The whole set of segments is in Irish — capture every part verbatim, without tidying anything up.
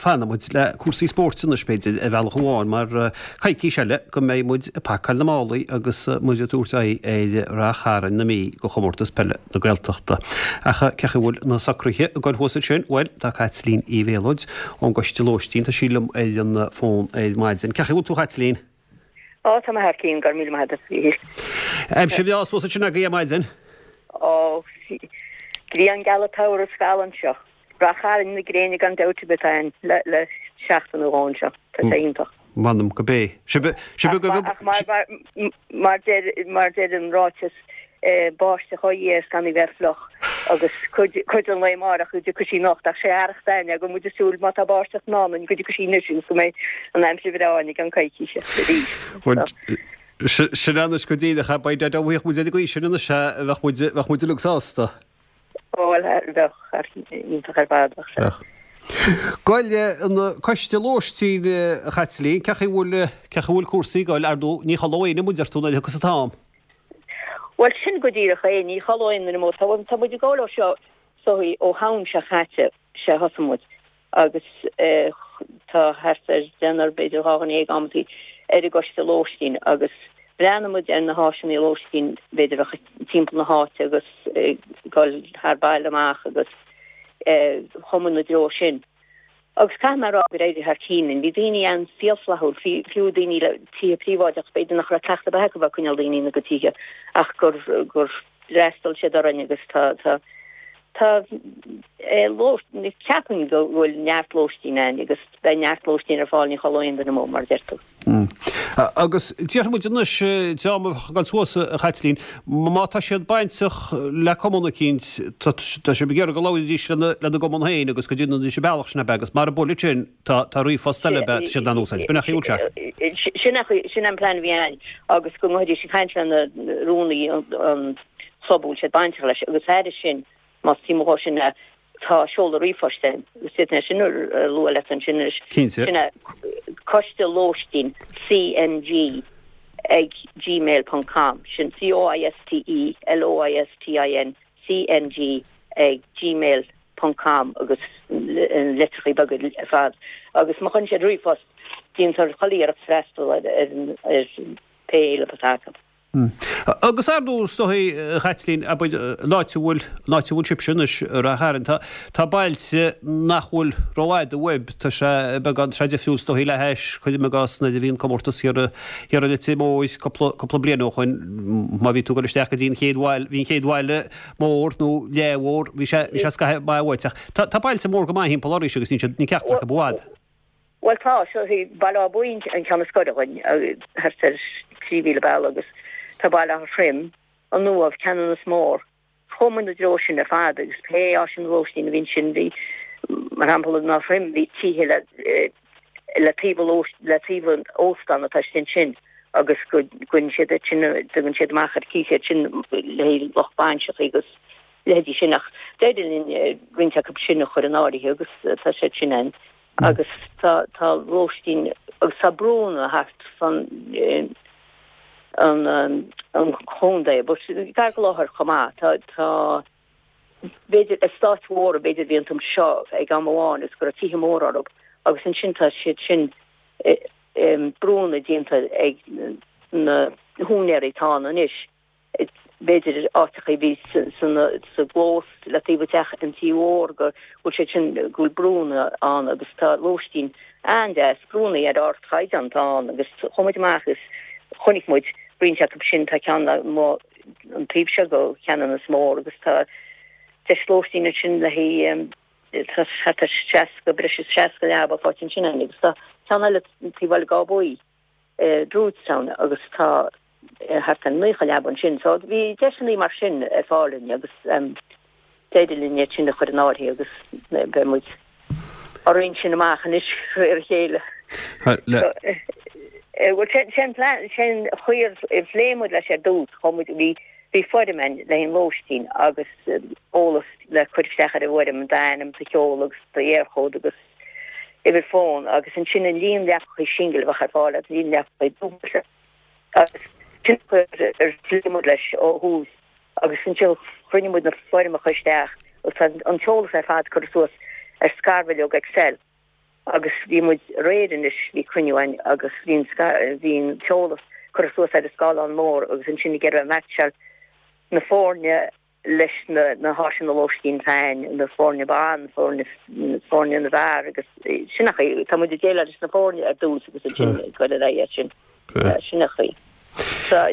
fanfaidh muid le cúrsaí spóirt anois b'fhéidir ar bhealach amháin mar coicís eile go mbeidh muid ag pacáil na málaí agus muid ag tabhairt aghaidh ar Ráth Chairn na Mí do chomórtas peile na Gaeltachta. Ach cén chaoi a bhfuil na socruithe ag goil thuas ansin? Bhuel, tá Caitlín Uí Mhéalóid ón gCoiste Lóistín, tá sí liom ar an bhfón ar maidin. Cén chaoi a bhfuil tú a Chaitlín? Ó, tá mé thar cinn, go raibh míle maith agat, a Mhíchíl. Aimsir bhreá suas ansin agaibh ar maidin? Ó, grian geal an tsamhraidh is geal anseo. Rath Chairn na gréine gan dabht ar bith ann le le seachtain nó dhó anseo. Tá sé iontach. M'anam go bé. Sibh sibh go Ach mar mar mar deir mar deir an ráiteas báisteach ó Dhia is gan í bheith fliuch agus cuid cuid den lae amárach go dtiocfaidh sí anocht ach sé fhearacht aithne go bhfuil muid ag súil má tá báisteach i ndán dúinn go dtiocfaidh sí anois agus go mbeidh an aimsir bhreá againn i gceann coicíse arís. Sin anois go díreach beidh dá bhfaigheadh muid ar an gcaoi sin anois bheadh muid bheadh muid uilig sásta. Ó bhuel bheadh iontach ar fad bheadh sé. Goil an coiste lóistín a Chaitlín, cén chaoi a bhfuil cén chaoi a bhfuil cúrsaí ag goil ar ndóigh ní chodlóidh éinne muid orthu nuair a thiocfas an t-am. Bhuel sin go díreach é, ní chodlóidh aon duine muid. Tá tá muid ag gabháil ó seo so ó Shamhain seo chaite sé thosaigh muid agus eh, tá thart ar deichniúr b'fhéidir dhá dhuine déag amantaí ar an gcoiste lóistín agus bhreathnaigh muid ar na háiseanna lóistín b'fhéidir a timpeall na háite agus eh, goil thar baile amach agus eh, chuaigh muid na dtreo sin. Agus caithfidh mé a rá gur éirigh thar cinn linn. Bhí daoine an fíorfhlaithiúil, fiú daoine le tithe príobháideach, b'fhéidir nach raibh cleachtadh ar bith acu bheith ag coinneáil daoine ina gcuid tithe ach gur gur fhreastail siad orainn agus tá tá tá ceapaim go bhfuil neart lóistín ann agus beidh neart lóistín ar fáil ní chodlóidh aon duine muid mar a deir tú. Agus déarfaidh muid anois dream a bheadh ag dul suas a Chaitlín, má tá siad bainteach le cumann eicínt, tá sibh ag iarraidh go labhróidís lena gcumann féin agus go ndéanfaidís an bealach sin ab ea agus mara bhfuil sin tá tá ríomhphost eile ab ea tá siad in ann úsáid. B'in é an chaoi a bhfuil sé. Sin sin an plean a bhí ann agus go ngabhfaidís ag caint lena rúnaí an club a bhfuil siad bainteach leis agus thairis sin más suim leo sin tá seoladh ríomhphoist ann agus d'fhéadfainn é sin a lua leat ansin anois. Cinnte. Sin é coiste lóistín CNG ag gmail ponc com sin C O I S T E L O I S T I N C N G ag gmail ponc com agus litreacha beaga ar fad agus má chuireann siad ríomhphost déantar chuile iarracht freastal ar ar ar pé éileamh atá acu. Agus ar ndóigh is dóigh a Chaitlín, abair, an áit a bhfuil, an áit a bhfuil sibhse anois, Ráth Chairn, tá, tá bailte nach bhfuil rófhada uaibh, tá sé beagán, tá sé difriúil is dóigh le hais, cuirim i gcás, nuair a bhí an comórtas thiar, thiar i Leitir Móir cúpla, cúpla bliain ó shoin, má bhí tú ag dul isteach go dtí an chéad bhaile, bhí an chéad bhaile mór nó leathmhór, bhí sé, bhí sé scaitheamh maith uait ach tá, tá bailte mór go maith thimpeall oraibhse agus níl siad, níl ceachtar acu i bhfad. Bhuel tá, seo í Baile Átha Buí an ceann is gaire dhuinn, thart ar trí mhíle bealaigh agus tá Baile Átha Troim, an Uaimh, Ceanannas Mór. Chuaigh muid na dtreo sin ar fad agus pé áiseanna lóistín a bhí ansin bhí, mar shampla in Áth Troim bhí tithe le le taobh le taobh an óstán atá istigh ansin agus go gcuireann siad iad sin, tugann siad amach ar cíos iad sin le haghaidh lucht bainseacha agus leithéidí sin ach d'éirigh linn roinnt acu sin a chur in áirithe agus tá siad sin ann. agus tá tá lóistín agus tá brúnna thart fan an an chontae but gar go láthair chomh maith tá tá b'fhéidir eastáit mhóra b'fhéidir bhí an t-am seo ag am amháin is go raibh tithe móra orthu agus ansin tá siad sin brúnna déanta ag na húinéirí atá ann anois. b'fhéidir áiteacha a bhí sa gclós le taobh teach an tí mhór go bhfuil siad sin go bhfuil brúnna ann agus tá lóistín an-deas brúnna ar ardchaighdeán atá ann agus chuaigh muid amach agus chonaic muid roinnt acu sin tá ceann an taobh seo go Ceanannas Mór agus tá deis lóistín ansin le haghaidh tá thart ar seasca breis is seasca leaba faighte ansin agus tá ceann eile taobh Bhaile Átha Buí Druidstown agus tá thart ar naocha leaba ansin. So bhí deiseanna mar sin ar fáil dúinn agus d'éirigh linn iad sin a chur in áirithe agus beidh muid á roinnt sin amach anois ar a chéile. Bhuel sin plean sin chaoi ar phléigh muid leis ar dtús chuaigh muid bhí bhí foirm ann le haghaidh an lóistín agus eolas le cur isteach ar an bhfoirm d'ainm, do sheoladh agus d'Eircode agus uimhir fóin agus ansin an líon leapacha singil a bheadh ar fáil agus líon leapacha dúbailte agus sin ar phléigh muid leis ó thús agus ansin chruinnigh muid na foirmeacha isteach agus tá an t-eolas ar fad curtha suas ar scarbhileog Excel Agus bhí muid aréir anois, bhí cruinniú againn agus bhí an bhí an t-eolas curtha suas ar an scáileán mór agus ansin ag iarraidh meaitseáil na foirne leis na na háiseanna lóistín féin, na foirne ban, foirne foirne na bhfear agus sin an chaoi, tá muid ag déileáil leis na foirne ar dtús agus ansin ag dul ar aghaidh sin. Sin an chaoi. So,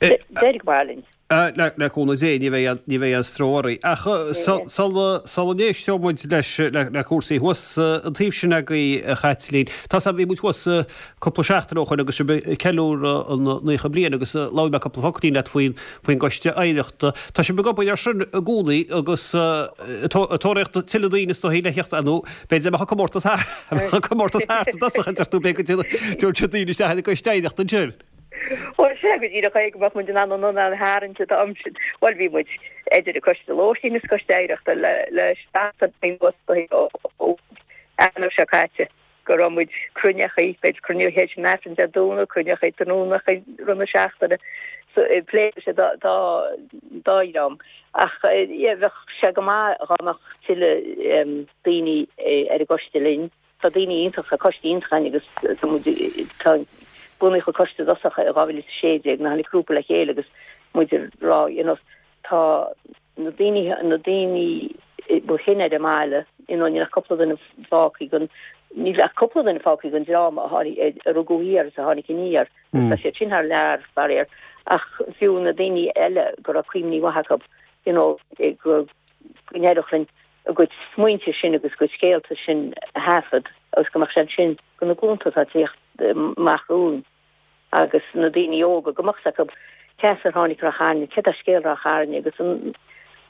d'éirigh go maith linn. Le cúnamh Dé, ní bheidh ní bheidh aon stró oraibh. Ach sula sula n-éisteoidh muid leis le cúrsaí thuas an taobh sin agaibh, a Chaitlín, tá 's agam, bhí muid thuas cúpla seachtain ó shoin agus sibh ag ceiliúradh an naocha bliain agus labhair mé cúpla focailín leat faoin faoin gcoiste oidhreachta. Tá sibh ag obair air sin i gcónaí agus ag tóraíocht tuilleadh daoine is dóigh le theacht nó b'fhéidir mbeadh an comórtas thart mbeadh an comórtas thart i dtosach a deir tú b'fhéidir go dtabharfaidh siad daoine isteach ar an gcoiste oidhreachta ansin. Bhuel, sea, go díreach é go mbeadh muid in ann an ionad a tharraingt an t-am sin. Bhuel, bhí muid idir an Coiste Lóistín is Coiste Oidhreachta le le seachtain anuas ó Eanáir seo caite go raibh muid cruinneachaí, b'fhéidir cruinniú théis an Aifrinn Dé Domhnaigh, cruinneachaí tráthnónachaí rith na seachtaine, so ag plé leis an dá dá dá dhream. Ach yeah, bheadh sé go maith dhá mbeadh tuilleadh daoine ar an gcoiste linn. Tá daoine iontach, tá coiste iontach againn agus tá muid, tá, bunaíodh an coiste i dtosach i dhá mhíle is a sé déag, nuair a tháinig grúpa le chéile agus muid ag rá, you know, tá na daoine, na daoine ba shine ar an mbaile, you know, níl ach cúpla duine fágtha den, níl ach cúpla duine fágtha den dream a tháinig, a rugadh thiar is a tháinig aniar, tá siad sin thar lear, faraor, ach fiú na daoine eile go raibh cuimhní mhaithe acu, you know, go go n-éireodh linn a gcuid smaointe sin agus a gcuid scéalta sin a thaifead agus go mbeadh sé ansin do na glúnta atá ag tíocht amach romhainn agus na daoine óga, go mbeadh 's acu cé as ar tháinig Ráth Chairn, céard é scéal Ráth Chairn agus an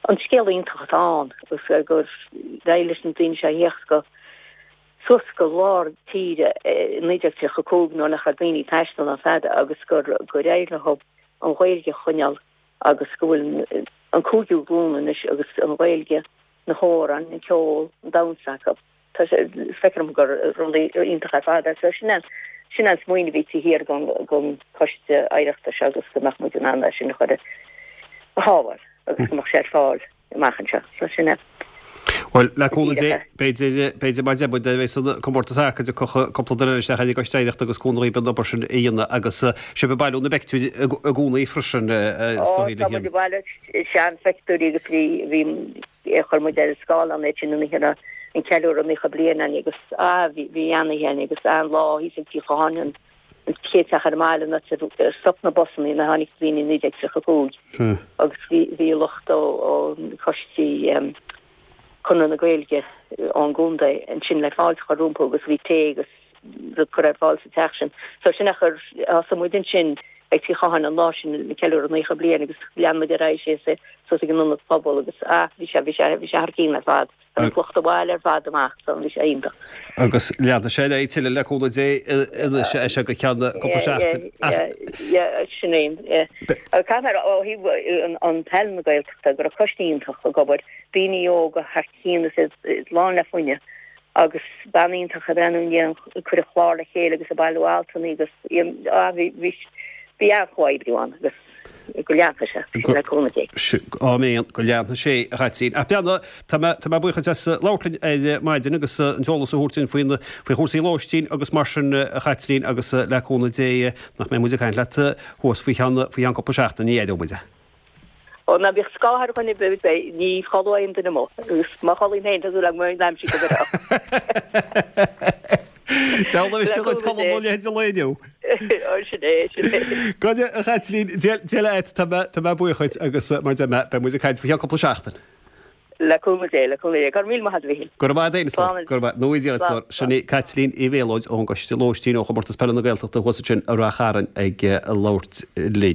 an scéal iontach atá ann agus gur éirigh leis na daoine seo a thíocht go suas go lár tíre i naoi déag tríocha a cúig nuair nach raibh daoine ag taisteal ná fada agus gur gur éirigh leo an Ghaeilge a choinneáil agus go bhfuil an cúigiú glúin anois agus an Ghaeilge, na hamhráin, an ceol, an damhsa acu. Tá sé, feictear dom gur rud iontach ar fad é. So sin an, sin an smaoineamh a bhí taobh thiar den, den choiste oidhreachta seo agus go mbeadh muid in ann é sin a chur a shábháil agus go mbeadh sé ar fáil amach anseo. So sin é. Bhuel, le cúnamh Dé, b'fhéidir, b'fhéidir mar a deir muid, a bheidh an comórtas thart go dtiocfadh cúpla duine eile isteach ar an gcoiste oidhreachta agus cúnamh dhaoib an obair sin a dhéanamh agus sibh ag bailiú na bpeictiúirí i gcónaí freisin, is Ó, dóigh tá le muid ag bailiú seanphictiúirí agus bhí, bhí, chuir muid ar an scáileán iad sin an oíche a raibh an ceiliúradh naocha bliain againn agus, ah, bhí, bhí an-oíche againn agus an-lá thíos ag Tigh Chatháin, an chéad teach ar an mbaile an áit ar stop na busanna nuair a tháinig daoine i naoi déag tríocha cúig agus bhí, bhí lucht ó, ó choistí, Conradh na Gaeilge ón gcontae ansin le fáilte a chur rompu agus bhí tae agus rud curtha ar fáil sa teach sin. So sin é ar thosaigh muid ansin ag Tigh Chatháin an lá sin ag ceiliúradh naocha bliain agus lean muid ar aghaidh síos suas ag an ionad pobail agus ah bhí sé bhí sé bhí sé thar cionn ar fad. Tháinig lucht an bhaile ar fad amach so bhí sé iontach. Agus leanfaidh sé ar aghaidh tuilleadh le cúnamh Dé anois as seo go ceann cúpla seachtain. Yeah, yeah, sin é, yeah. Caithfidh mé a rá ó thaobh an peil na Gaeltachta go raibh coiste iontach ag obair, daoine óga thar cionn is iad lán le fuinneamh agus bean iontach ag breathnú i ndiaidh ag cur an chlár le chéile agus ag bailiú altanna agus ah bhí bhí bhí an-chomhoibriú ann agus go leanfaidh sé sin le cúnamh Dé. Áiméan, go leanfaidh sé a Chaitlín. Ach beanna, tá mé tá mé buíoch duit as labhairt linn ar maidin agus an t-eolas a thabhairt dúinn faoin faoi chúrsaí lóistín agus mar sin a Chaitlín agus le cúnamh Dé nach mbeidh muid ag caint leat thuas faoi cheann faoi cheann cúpla seachtain, ní aireoidh muid é. Ó, ná bíodh scáth ar dhuine ar bith, beidh, ní chodlóidh aon duine amuigh, agus má chodlaím féin, tá súil agam go mbeidh an aimsir go breá. Deabhal miste dhuit codladh mo leithéid de lae inniu. Ó, sin é, sin é. Go deimhin, a Chaitlín, Dia leat, tá mé, tá mé buíoch dhuit agus mar a deir mé, beidh muid ag caint faoi cheann cúpla seachtain. Le cúnamh Dé, le cúnamh Dé. Go raibh míle maith agat, a Mhíchíl. Go raibh maith agat féin, a stór. Go raibh maith. Nó Dia duit, a stór. Sin í Caitlín Uí Mhéalóid ón gCoiste Lóistín ó Chomórtas Peile na Gaeltachta thuas ansin i Rath Chairn ag labhairt linn.